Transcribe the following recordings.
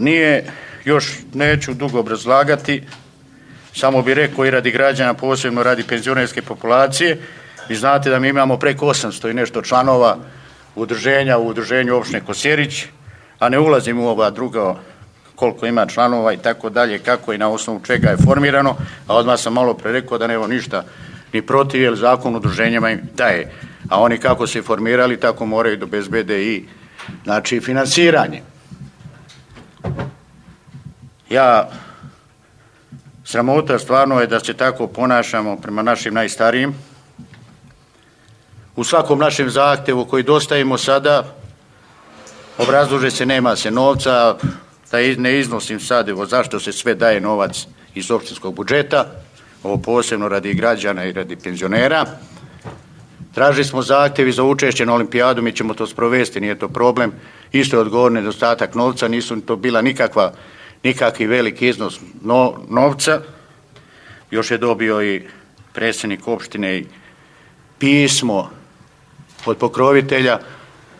nije, još neću dugo obrazlagati, samo bih rekao i radi građana, posebno radi penzionerske populacije. Vi znate da mi imamo preko 800 i nešto članova udruženja u udruženju opštine Kosjerić, a ne ulazim u ova druga koliko ima članova i tako dalje, kako i na osnovu čega je formirano, a odmah sam malo pre rekao da nema ništa ni protiv, jer zakon udruženjima im daje. A oni kako se formirali, tako moraju da obezbede i znači finansiranje. Sramota stvarno je da se tako ponašamo prema našim najstarijim. U svakom našem zahtevu koji dostavimo sada, obrazlože se nema se novca, da ne iznosim sad evo zašto se sve daje novac iz opštinskog budžeta, ovo posebno radi građana i radi penzionera. Tražili smo zahtjevi za učešće na olimpijadu, mi ćemo to sprovesti, nije to problem. Isto je odgovor nedostatak novca, nisu to bila nikakvi veliki iznos novca. Još je dobio i predsjednik opštine i pismo od pokrovitelja,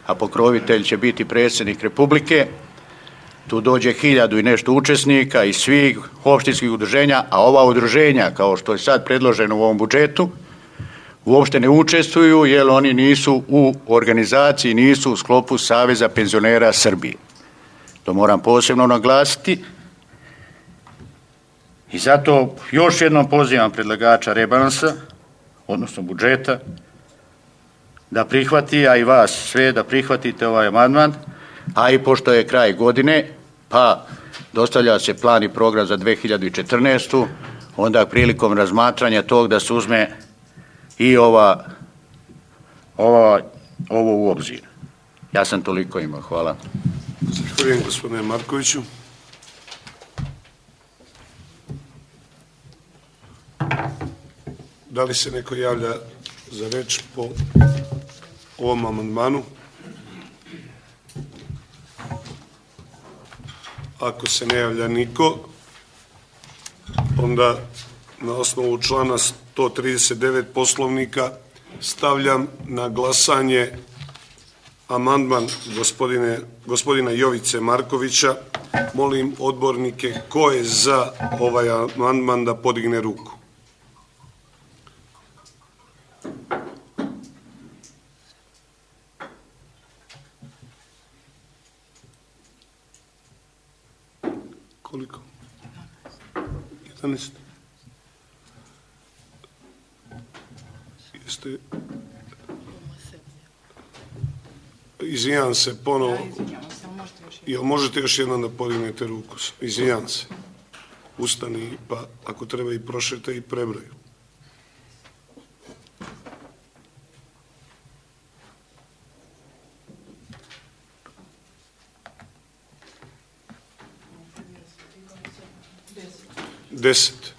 a pokrovitelj će biti predsjednik Republike. Tu dođe 1000 i nešto učesnika iz svih opštinskih udruženja, a ova udruženja, kao što je sad predloženo u ovom budžetu, uopšte ne učestvuju jer oni nisu u organizaciji, nisu u sklopu Saveza penzionera Srbije. To moram posebno naglasiti. I zato još jednom pozivam predlagača rebalansa, odnosno budžeta, da prihvati, a i vas sve da prihvatite ovaj amandman, a i pošto je kraj godine, pa dostavlja se plan i program za 2014. Onda prilikom razmatranja tog da se uzme i ovo u obzir. Ja sam toliko imao. Hvala. Zahvaljujem gospodine Markoviću. Da li se neko javlja za reč po ovom amandmanu? Ako se ne javlja niko, onda na osnovu člana 139 Poslovnika stavljam na glasanje amandman gospodina Jovice Markovića. Molim odbornike ko je za ovaj amandman da podigne ruku. Koliko? 11. Jeste... Izvinjam se ponovo. Jel možete još jednom da podignete ruku? Izvinjam se. Ustani, pa ako treba i prošete i prebroju. Deset.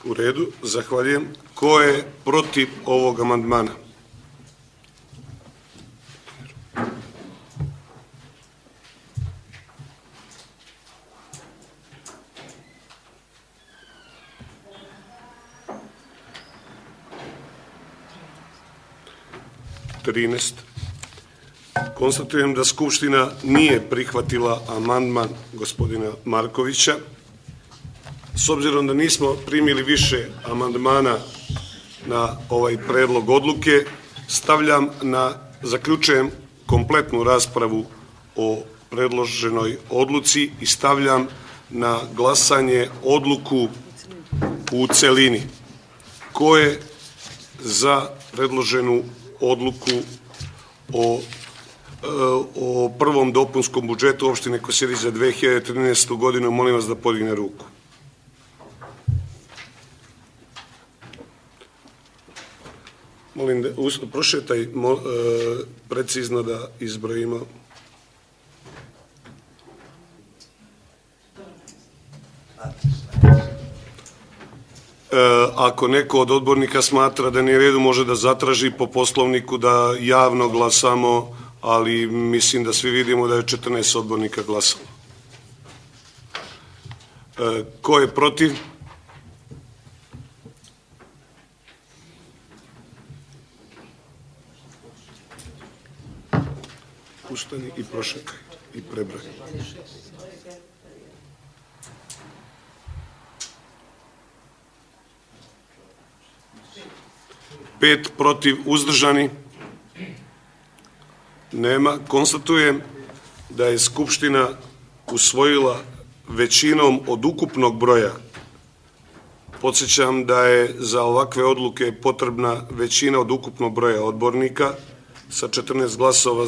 U redu, zahvaljujem. Ko je protiv ovog amandmana? Konstatujem da Skupština nije prihvatila amandman gospodina Markovića. S obzirom da nismo primili više amandmana na ovaj predlog odluke, zaključujem kompletnu raspravu o predloženoj odluci i stavljam na glasanje odluku u celini. Ko je za predloženu odluku o prvom dopunskom budžetu opštine Kosjerić za 2013. godinu, molim vas da podigne ruku. Molim da prošetaj precizno da izbrojimo. Ako neko od odbornika smatra da nije u redu, može da zatraži po Poslovniku da javno glasamo, ali mislim da svi vidimo da je 14 odbornika glasalo. Ko je protiv? Ustani i prošetaj i prebroj. 5 protiv, uzdržani? Nema. Konstatujem da je Skupština usvojila većinom od ukupnog broja. Podsjećam da je za ovakve odluke potrebna većina od ukupnog broja odbornika. Sa 14 glasova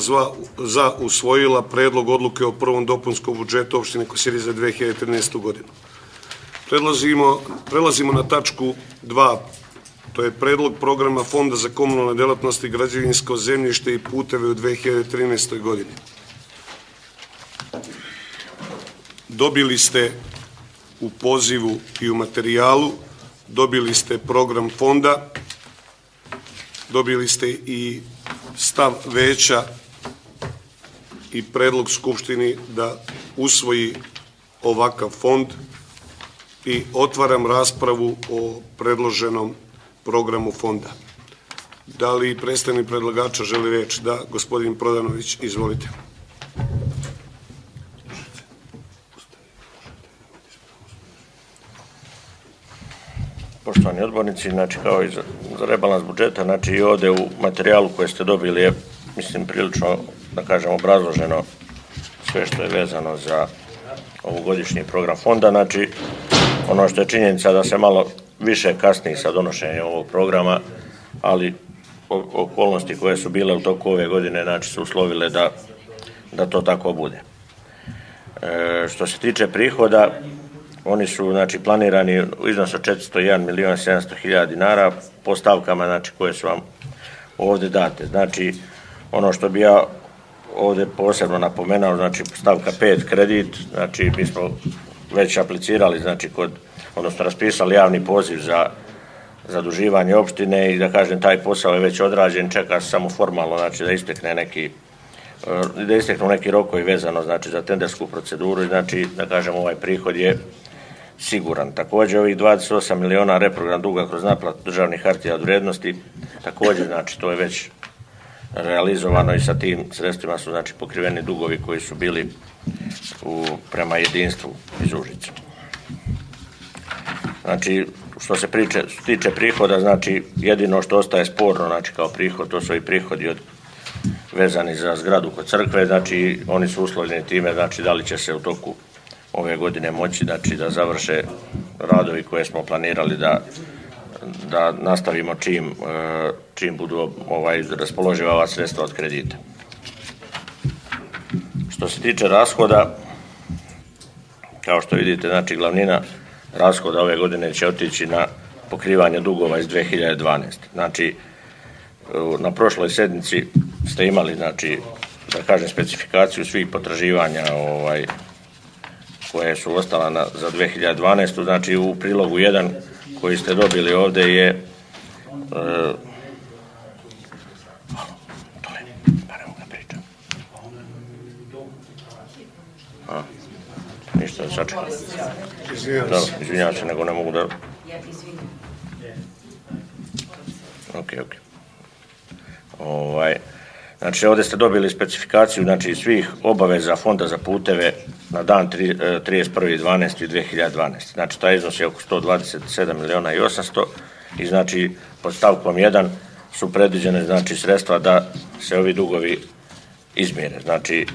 za usvojila predlog odluke o prvom dopunskom budžetu opštine Kosjerić za 2013. godinu. Prelazimo na tačku 2. To je predlog programa Fonda za komunalne delatnosti, građevinsko zemljište i puteve u 2013. godini. Dobili ste u pozivu i u materijalu, dobili ste program fonda, dobili ste i stav veća i predlog Skupštini da usvoji ovakav fond i otvaram raspravu o predloženom programu fonda. Da li predstavnik predlagača želi reč? Da, gospodin Prodanović, izvolite. Poštovani odbornici, znači kao i za rebalans budžeta, znači i ovde u materijalu koje ste dobili je, mislim, prilično, da kažem, obrazloženo sve što je vezano za ovogodišnji program fonda. Znači, ono što je činjenica da se malo više kasni sa donošenjem ovog programa, ali okolnosti koje su bile u toku ove godine, znači, su uslovile da to tako bude. Što se tiče prihoda, oni su, znači, planirani u iznosu od 401.700.000 dinara po stavkama, znači, koje su vam ovde date. Znači, ono što bi ja ovde posebno napomenao, znači, stavka 5 kredit, znači, mi smo već aplicirali, znači, odnosno raspisali javni poziv za zaduživanje opštine i da kažem, taj posao je već odrađen, čeka se samo formalno, znači, da isteknu neki rokovi vezano, znači, za tendersku proceduru i, znači, da kažem, ovaj prihod je siguran. Također ovih 28 miliona reprogram duga kroz naplatu državnih hartija od vrijednosti, također, znači, to je već realizovano i sa tim sredstvima su, znači, pokriveni dugovi koji su bili prema jedinstvu iz Užica. Znači, što se tiče prihoda, znači, jedino što ostaje sporno, znači, kao prihod, to su i prihodi vezani za zgradu kod crkve, znači, oni su uslovljeni time, znači, da li će se u toku ove godine moći, znači, da završe radovi koje smo planirali da nastavimo čim budu raspoloživa ova sredstva od kredita. Što se tiče rashoda, kao što vidite, znači, glavnina rashoda ove godine će otići na pokrivanje dugova iz 2012. Znači, na prošloj sednici ste imali, znači, da kažem, specifikaciju svih potraživanja koje su ostala za 2012. Znači, u prilogu 1 koji ste dobili ovde je ništa, sačekam. Izvinjavam se, nego ne mogu da... Ok. Znači, ovde ste dobili specifikaciju, znači, svih obaveza Fonda za puteve na dan 31.12.2012. Znači, taj iznos je oko 127.800.000 i, znači, pod stavkom 1 su predviđene, znači, sredstva da se ovi dugovi izmjere. Znači,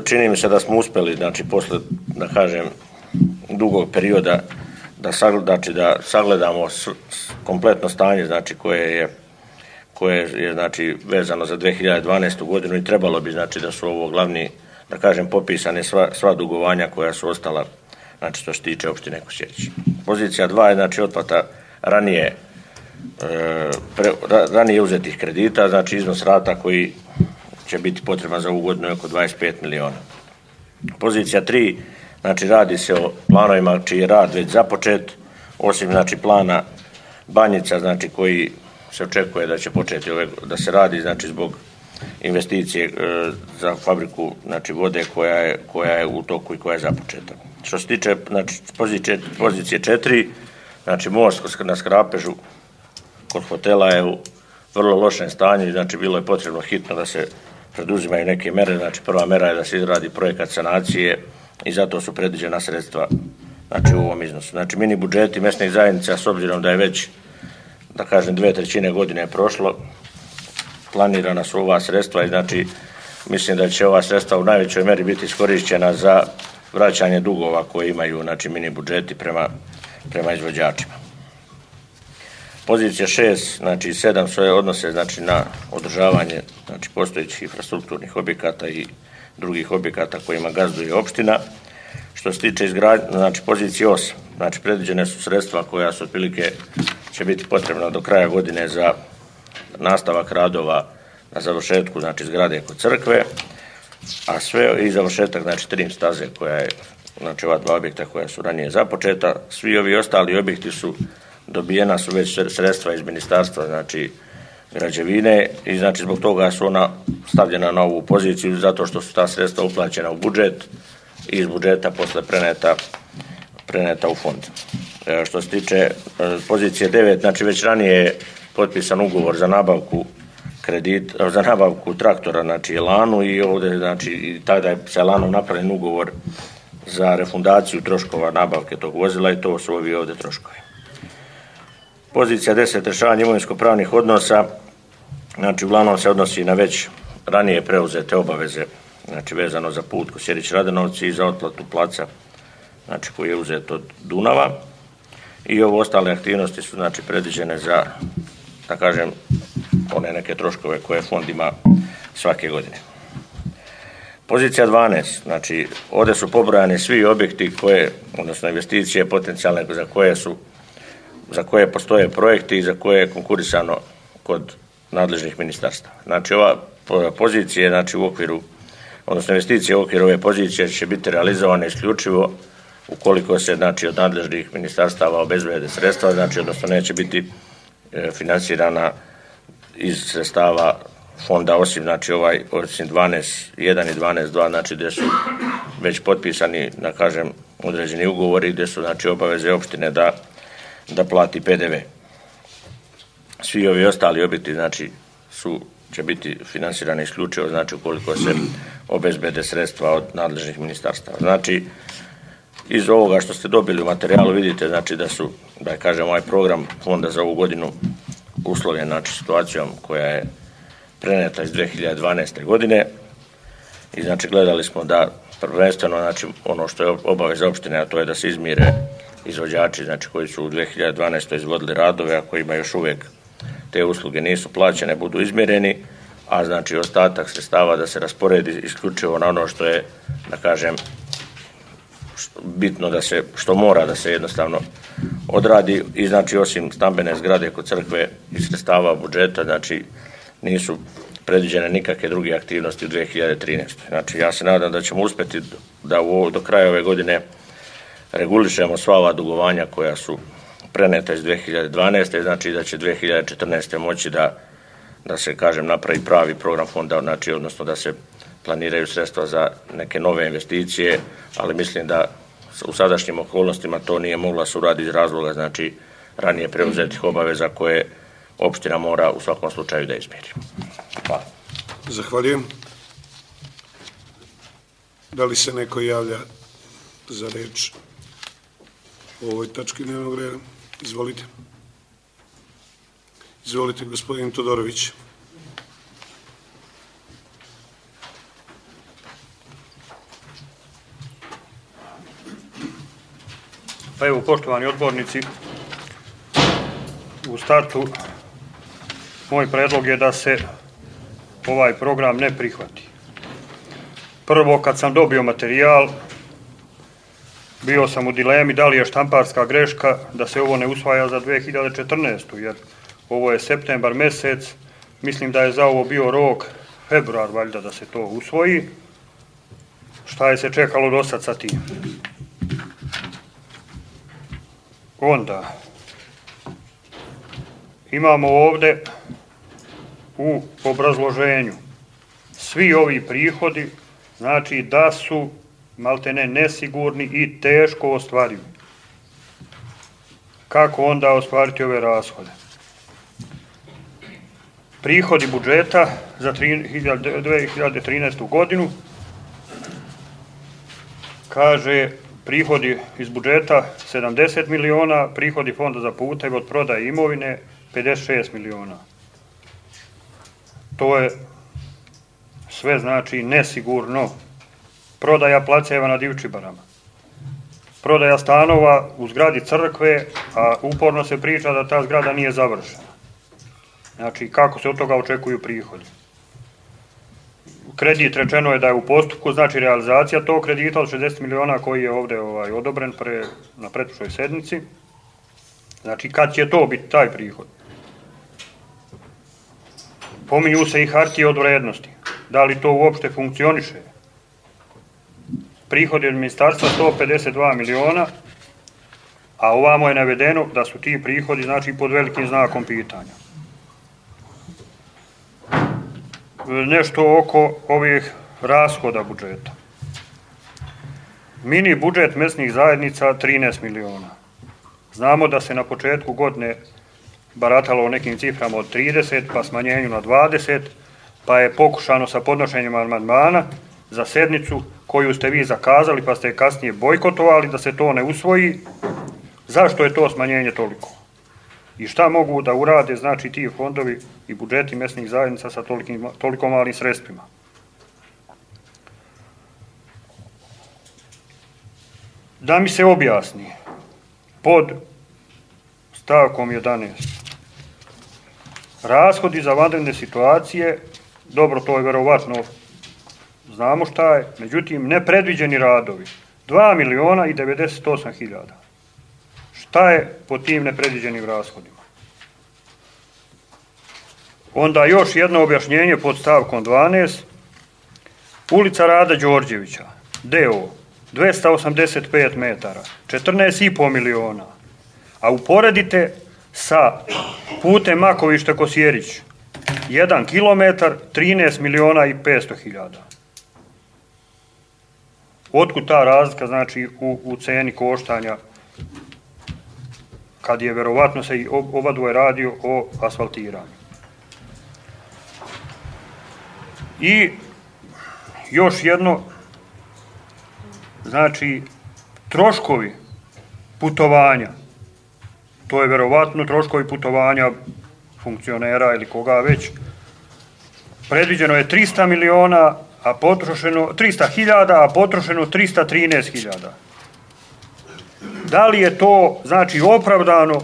čini mi se da smo uspeli, znači, posle, da kažem, dugog perioda da sagledamo kompletno stanje, znači, koje je, znači, vezano za 2012. godinu i trebalo bi, znači, da su ovo glavni, da kažem, popisane sva dugovanja koja su ostala, znači, što se tiče opštine Kosjerić. Pozicija 2 je, znači, otplata ranije uzetih kredita, znači, iznos rata koji će biti potreban za ovu godinu je oko 25 miliona. Pozicija 3, znači, radi se o planovima čiji je rad već započet, osim, znači, plana Banjica, znači, koji se očekuje da će početi da se radi, znači, zbog investicije za fabriku, znači, vode koja je u toku i koja je započeta. Što se tiče, znači, pozicije 4, znači, most na Skrapežu kod hotela je u vrlo lošem stanju i, znači, bilo je potrebno hitno da se preduzimaju neke mere. Znači, prva mera je da se izradi projekat sanacije i zato su predviđena sredstva, znači, u ovom iznosu. Znači, mini budžeti mesnih zajednica, s obzirom da je već da kažem 2/3 godine je prošlo, planirana su ova sredstva i znači mislim da će ova sredstva u najvećoj meri biti iskorišćena za vraćanje dugova koje imaju znači mini budžeti prema izvođačima. Pozicija 6, znači 7 sve odnose znači na održavanje znači postojećih infrastrukturnih objekata i drugih objekata kojima gazduje opština. Što se tiče izgradnje, znači pozicije 8, znači predviđene su sredstva koja su otprilike će biti potrebna do kraja godine za nastavak radova na završetku znači zgrade kod crkve, a sve i završetak znači trim staze koja je znači ova 2 objekta koja su ranije započeta. Svi ovi ostali objekti su dobijena su već sredstva iz ministarstva znači građevine i znači zbog toga su ona stavljena na ovu poziciju zato što su ta sredstva uplaćena u budžet i iz budžeta posle preneta u fond. Što se tiče pozicije 9, znači već ranije je potpisan ugovor za nabavku traktora znači Elanu i ovdje znači i tada je sa Elanom napravljen ugovor za refundaciju troškova nabavke tog vozila i to su ovi ovdje troškovi. Pozicija 10, rješavanje imovinsko-pravnih odnosa, znači uglavnom se odnosi na već ranije preuzete obaveze, znači vezano za put Kosjerić-Radenovci i za otplatu placa, znači koji je uzet od Dunava i ovo ostale aktivnosti su znači predviđene za, da kažem, one neke troškove koje fond ima svake godine. Pozicija 12, znači ovdje su pobrojani svi objekti koje, odnosno investicije potencijalne za koje postoje projekti i za koje je konkurisano kod nadležnih ministarstava. Znači ova pozicija znači u okviru, odnosno investicije u okviru ove pozicije će biti realizovane isključivo ukoliko se znači od nadležnih ministarstava obezbede sredstva, znači odnosno neće biti finansirana iz sredstava fonda osim znači osim 12.1 i 12.2 znači gdje su već potpisani da kažem određeni ugovori gdje su znači obaveze opštine da plati PDV. Svi ovi ostali objekti znači će biti finansirani isključivo znači ukoliko se obezbede sredstva od nadležnih ministarstava. Znači iz ovoga što ste dobili u materijalu vidite znači da kažem ovaj program fonda za ovu godinu uslovljen znači situacijom koja je preneta iz 2012. godine i znači gledali smo da prvenstveno znači ono što je obaveza opštine, a to je da se izmire izvođači znači koji su u 2012. izvodili radove, a kojima još uvijek te usluge nisu plaćene, budu izmjereni, a znači ostatak sredstava da se rasporedi isključivo na ono što je, da kažem, bitno da se, što mora da se jednostavno odradi i znači osim stambene zgrade kod crkve i sredstava budžeta, znači nisu predviđene nikakve druge aktivnosti u 2013. Znači ja se nadam da ćemo uspjeti da do kraja ove godine regulišemo sva ova dugovanja koja su preneta iz 2012. znači da će 2014. moći da se, kažem, napravi pravi program fonda, znači odnosno da se planiraju sredstva za neke nove investicije, ali mislim da u sadašnjim okolnostima to nije mogla se uraditi iz razloga, znači ranije preuzetih obaveza koje opština mora u svakom slučaju da izmiri. Hvala. Zahvaljujem. Da li se neko javlja za reč o ovoj tački dnevnog reda? Izvolite. Izvolite, gospodin Todorović. Pa evo, poštovani odbornici, u startu moj predlog je da se ovaj program ne prihvati. Prvo, kad sam dobio materijal, bio sam u dilemi da li je štamparska greška da se ovo ne usvaja za 2014. jer ovo je septembar mjesec, mislim da je za ovo bio rok februar valjda da se to usvoji. Šta je se čekalo do sad sa tim? Onda imamo ovdje u obrazloženju svi ovi prihodi, znači da su maltene nesigurni i teško ostvarivi. Kako onda ostvariti ove rashode? Prihodi budžeta za 2013. godinu, kaže prihodi iz budžeta 70 miliona, prihodi fonda za puteve od prodaje imovine 56 miliona. To je sve znači nesigurno. Prodaja placeva na Divčibarama. Prodaja stanova u zgradi crkve, a uporno se priča da ta zgrada nije završena. Znači, kako se od toga očekuju prihodi? Kredit rečeno je da je u postupku, znači realizacija tog kredita od 60 miliona koji je ovdje odobren na pretprošloj sednici. Znači, kad će to biti taj prihod? Pominju se i hartije od vrednosti. Da li to uopšte funkcioniše? Prihod od ministarstva 152 miliona, a ovamo je navedeno da su ti prihodi znači pod velikim znakom pitanja. Nešto oko ovih rashoda budžeta. Mini budžet mesnih zajednica 13 miliona. Znamo da se na početku godine baratalo o nekim ciframa od 30, pa smanjenju na 20, pa je pokušano sa podnošenjem amandmana za sednicu koju ste vi zakazali, pa ste je kasnije bojkotovali da se to ne usvoji. Zašto je to smanjenje toliko? I šta mogu da urade, znači, ti fondovi i budžeti mesnih zajednica sa toliko malim sredstvima? Da mi se objasni, pod stavkom 11. Rashodi za vanredne situacije, dobro, to je verovatno, znamo šta je, međutim, nepredviđeni radovi, 2 miliona i 98 hiljada. Šta je po tim nepredviđenim rashodima? Onda još jedno objašnjenje pod stavkom 12. Ulica Rada Đorđevića, DO, 285 metara, 14,5 miliona. A uporedite sa putem Makovište-Kosjerić, 1 kilometar, 13 miliona i 500 hiljada. Otkud ta razlika, znači, u ceni koštanja, kad je verovatno se i oba dvoje radio o asfaltiranju. I još jedno, znači, troškovi putovanja, to je verovatno troškovi putovanja funkcionera ili koga već, predviđeno je 300 miliona, a potrošeno 300 hiljada, a potrošeno 313 hiljada. Da li je to, znači, opravdano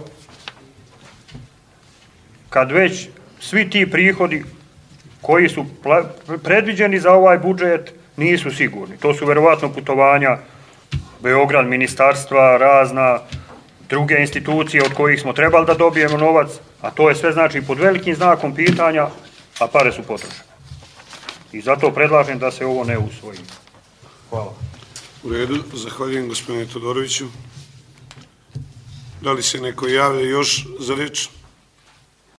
kad već svi ti prihodi koji su predviđeni za ovaj budžet nisu sigurni? To su verovatno putovanja Beograd, ministarstva, razna druge institucije od kojih smo trebali da dobijemo novac, a to je sve znači pod velikim znakom pitanja, a pare su potrošene. I zato predlažem da se ovo ne usvoji. Hvala. U redu, zahvaljujem gospodine Todoroviću. Da li se neko javlja još za reč?